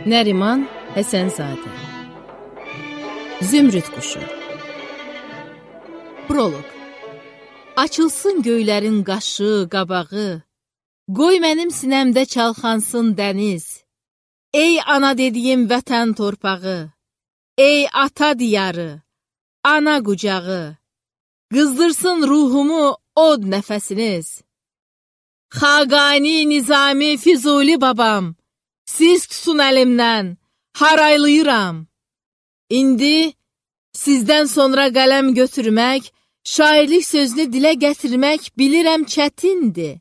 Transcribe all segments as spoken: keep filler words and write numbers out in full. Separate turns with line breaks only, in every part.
Nəriman Həsənzadə Zümrüd quşu Proloq Açılsın göylərin qaşı, qabağı, qoy mənim sinəmdə çalxansın dəniz. Ey ana dediyim vətən torpağı, ey ata diyarı, ana qucağı, qızdırsın ruhumu od nəfəsiniz. Xaqani, Nizami, Füzuli babam, siz tutun əlimdən, haraylayıram. İndi sizdən sonra qələm götürmək, şairlik sözünü dilə gətirmək bilirəm çətindir,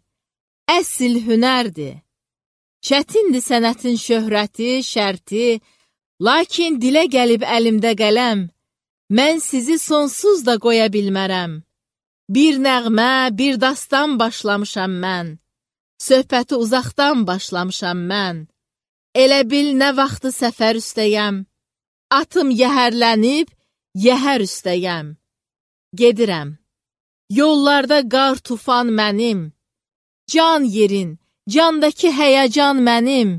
əsl hünərdir. Çətindir sənətin şöhrəti, şərti, lakin dilə gəlib əlimdə qələm, mən sizi sonsuz da qoya bilmərəm. Bir nəğmə, bir dastan başlamışam mən, söhbəti uzaqdan başlamışam mən. Elə bil nə vaxtı səfər üstəyəm, atım yəhərlənib, yəhər üstəyəm. Gedirəm, yollarda qar tufan mənim, can yerin, candakı həyəcan mənim,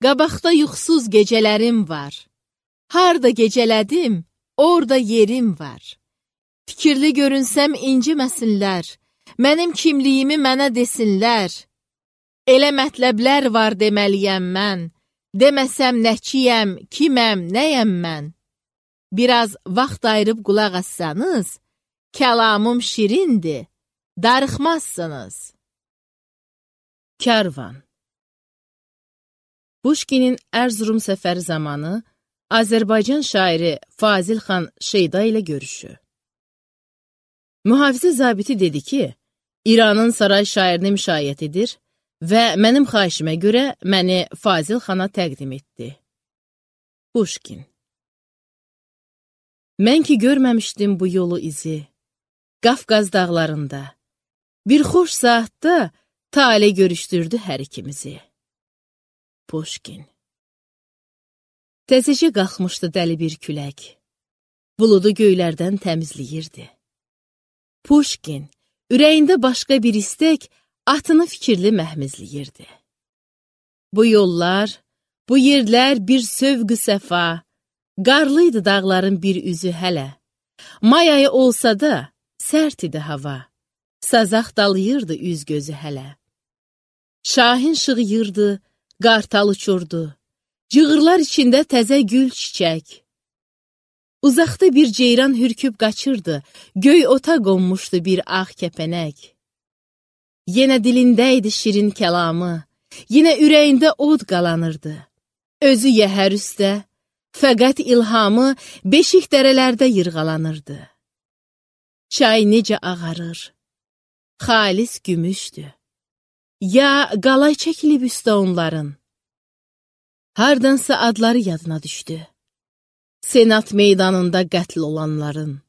qabaqda yuxsuz gecələrim var. Harda gecələdim, orada yerim var. Fikirli görünsəm inciməsinlər, mənim kimliyimi mənə desinlər. Elə mətləblər var deməliyəm mən, deməsəm nəçiyəm, kiməm, nəyəm mən. Biraz vaxt ayırıb qulaq assanız, kəlamım şirindir, darıxmazsınız. Kərvan Puşkinin Ərzurum səfəri zamanı Azərbaycan şairi Fazil xan Şeyda ilə görüşü. Mühafizə zabiti dedi ki, İranın saray şairini müşayiət edir və mənim xahişimə görə məni Fazil xana təqdim etdi. Puşkin Mən ki görməmişdim bu yolu izi, Qafqaz dağlarında, bir xoş saatda tale görüşdürdü hər ikimizi. Puşkin Təzəcə qalxmışdı dəli bir külək, buludu göylərdən təmizləyirdi. Puşkin ürəyində başqa bir istək, atını fikirli məhmizləyirdi. Bu yollar, bu yerlər bir sövq-ü səfa, qarlıydı dağların bir üzü hələ. May ayı olsa da, sərt idi hava, sazaq dalayırdı üz gözü hələ. Şahin şığıyırdı, qartal uçurdu, cığırlar içində təzə gül çiçək. Uzaqda bir ceyran hürküb qaçırdı, göy ota qonmuşdu bir ağ kəpənək. Yenə dilindəydi şirin kəlamı, yenə ürəyində od qalanırdı. Özü yəhər üstə, fəqət ilhamı beşik dərələrdə yırğalanırdı. Çay necə ağarır, xalis gümüşdü. Ya qalay çəkilib üstə onların. Hardansa adları yadına düşdü. Senat meydanında qətl olanların.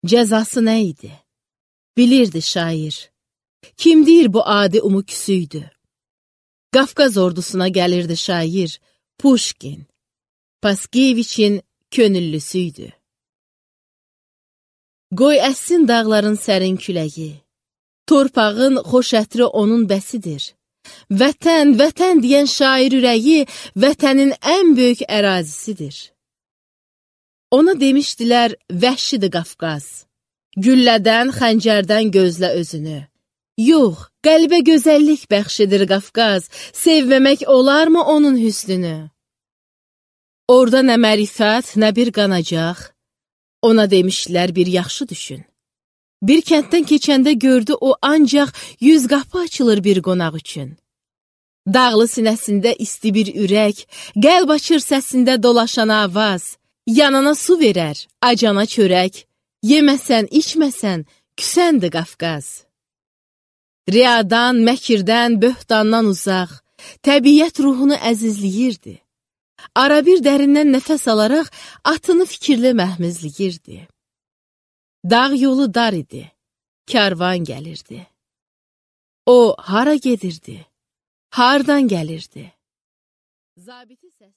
Cəzası nə idi? Bilirdi şair. Kim deyir bu adi umuküsüydü? Qafqaz ordusuna gəlirdi şair, Puşkin. Paskeviçin könüllüsüydü. Qoy əssin dağların sərin küləyi, torpağın xoş ətri onun bəsidir. Vətən, vətən deyən şair ürəyi, vətənin ən böyük ərazisidir. Ona demişdilər, vəhşidir Qafqaz, güllədən, xəncərdən gözlə özünü. Yox, qəlbə gözəllik bəxşidir Qafqaz, sevməmək olarmı onun hüsnünü? Orada nə mərifət, nə bir qanacaq, ona demişlər bir yaxşı düşün. Bir kənddən keçəndə gördü o ancaq yüz qapı açılır bir qonaq üçün. Dağlı sinəsində isti bir ürək, qəlb açır səsində dolaşan avaz, yanana su verər, acana çörək, yeməsən, içməsən, küsəndi Qafqaz. Riyadan, məkirdən, böhtandan uzaq, təbiət ruhunu əzizləyirdi. Ara bir dərindən nəfəs alaraq atını fikirli məhmizləyirdi. Dağ yolu dar idi, kərvan gəlirdi. O, hara gedirdi, hardan gəlirdi? Zabiti səs